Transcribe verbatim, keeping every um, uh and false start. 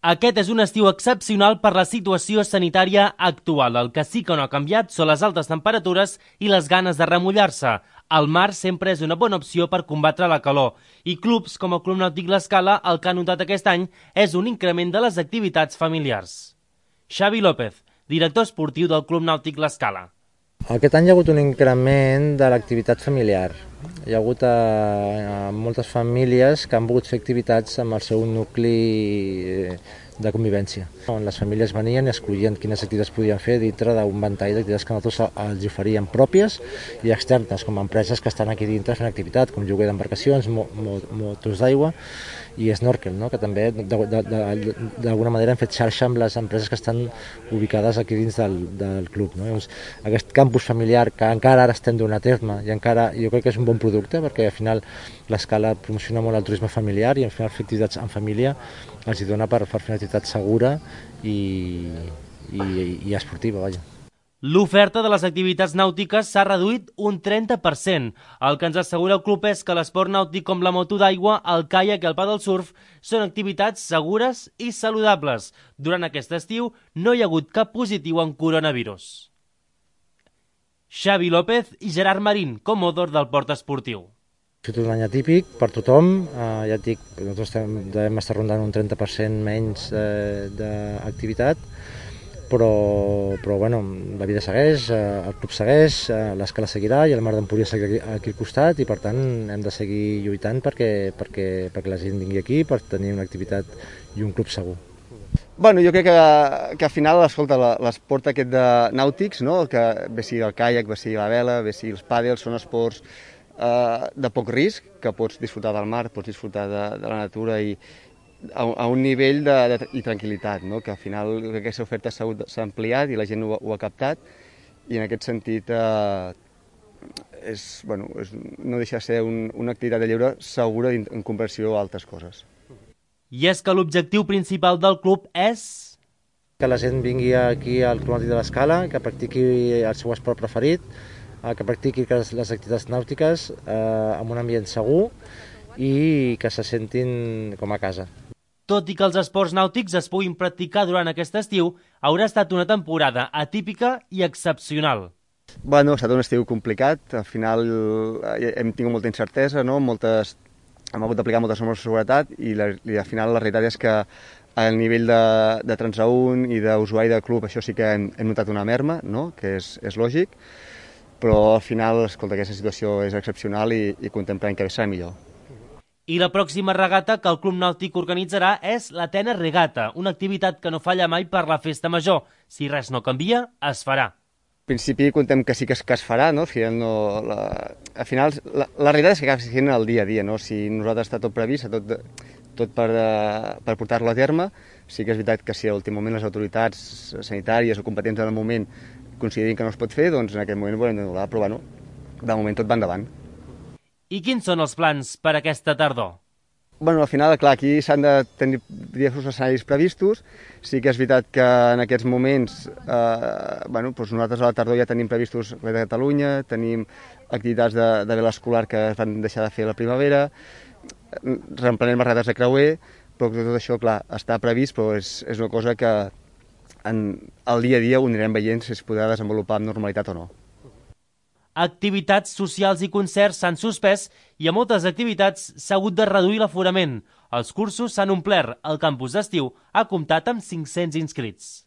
Aquest és un estiu excepcional per la situació sanitària actual. El que sí que no ha canviat són les altes temperatures i les ganes de remullar-se. El mar sempre és una bona opció per combatre la calor. I clubs com el Club Nàutic L'Escala el que ha notat aquest any és un increment de les activitats familiars. Xavi López, director esportiu del Club Nàutic L'Escala. Aquest any hi ha hagut un increment de l'activitat familiar. Hi ha hagut eh, moltes famílies que han volgut fer activitats amb el seu nucli de convivència, on les famílies venien i escollien quines activitats podien fer dintre d'un ventall d'activitats que nosaltres els oferíem pròpies i externes, com empreses que estan aquí dintre fent activitat, com lloguer d'embarcacions, mo, mo, motos d'aigua i snorkel, no? Que també d'alguna manera hem fet xarxa amb les empreses que estan ubicades aquí dins del, del club. No? Llavors, aquest campus familiar que encara ara estem donant a terme i encara jo crec que és un bon producte perquè al final l'Escala promociona molt el turisme familiar i al final fer activitats en família els hi dona per, per fer una activitat segura i, i, i esportiva, vaja. L'oferta de les activitats nàutiques s'ha reduït un trenta per cent. El que ens assegura el club és que l'esport nàutic com la moto d'aigua, el caiac i el paddle surf són activitats segures i saludables. Durant aquest estiu no hi ha hagut cap positiu en coronavirus. Xavi López i Gerard Marín, comodor del port esportiu. Ha estat un any atípic per tothom, eh, ja et dic, nosaltres devem estar rondant un trenta per cent menys eh, d'activitat, però, però bueno, la vida segueix, eh, el club segueix, eh, l'Escala seguirà i el Mar d'Empúries seguirà aquí al costat i per tant hem de seguir lluitant perquè, perquè, perquè la gent vingui aquí per tenir una activitat i un club segur. Bueno, jo crec que, que al final, escolta, l'esport aquest de nàutics, no? Que bé sigui el caiac, bé sigui la vela, bé sigui els pàdels, són esports eh, de poc risc, que pots disfrutar del mar, pots disfrutar de, de la natura i a, a un nivell de, de i tranquil·litat, no? Que al final aquesta oferta s'ha ampliat i la gent ho, ho ha captat i en aquest sentit eh, és, bueno, és, no deixa de ser un, una activitat de lleure segura en, en comparació a altres coses. I és que l'objectiu principal del club és que la gent vingui aquí al Club Nàutic de l'Escala, que practiqui el seu esport preferit, que practiqui les activitats nàutiques eh, en un ambient segur i que se sentin com a casa. Tot i que els esports nàutics es puguin practicar durant aquest estiu, haurà estat una temporada atípica i excepcional. Bueno, ha estat un estiu complicat, al final hem tingut molta incertesa, no? Moltes... hem hagut d'aplicar moltes normes de seguretat i, la, i al final la realitat és que al nivell de, de transaúnt i d'usuari del club això sí que hem, hem notat una merma, no? Que és, és lògic, però al final, escolta, aquesta situació és excepcional i, i contemplem que serà millor. I la pròxima regata que el Club Nàutic organitzarà és l'Atenes Regata, una activitat que no falla mai per la festa major. Si res no canvia, es farà. En principi contem que sí que es, que es farà, no? Al final, no, la, al final la, la realitat és que acaba sent el dia a dia, no? Si nosaltres està tot previst, tot, tot per, per portar-lo a terme, sí que és veritat que si a l'últim moment les autoritats sanitàries o competents en el moment considerin que no es pot fer, doncs en aquest moment ho haurem d'anul·lar, però bueno, de moment tot va endavant. I quins són els plans per aquesta tardor? Bueno, al final, clar, aquí s'han de tenir diversos escenaris previstos. Sí que és veritat que en aquests moments, eh, bueno, doncs nosaltres a la tardor ja tenim previstos Red de Catalunya, tenim activitats de, de vela escolar que es van deixar de fer a la primavera, reemprenem les regates de creuer, però tot això, clar, està previst, però és, és una cosa que en el dia a dia ho anirem veient si es podrà desenvolupar amb normalitat o no. Activitats socials i concerts s'han suspès i a moltes activitats s'ha hagut de reduir l'aforament. Els cursos s'han omplert. El campus d'estiu ha comptat amb cinc-cents inscrits.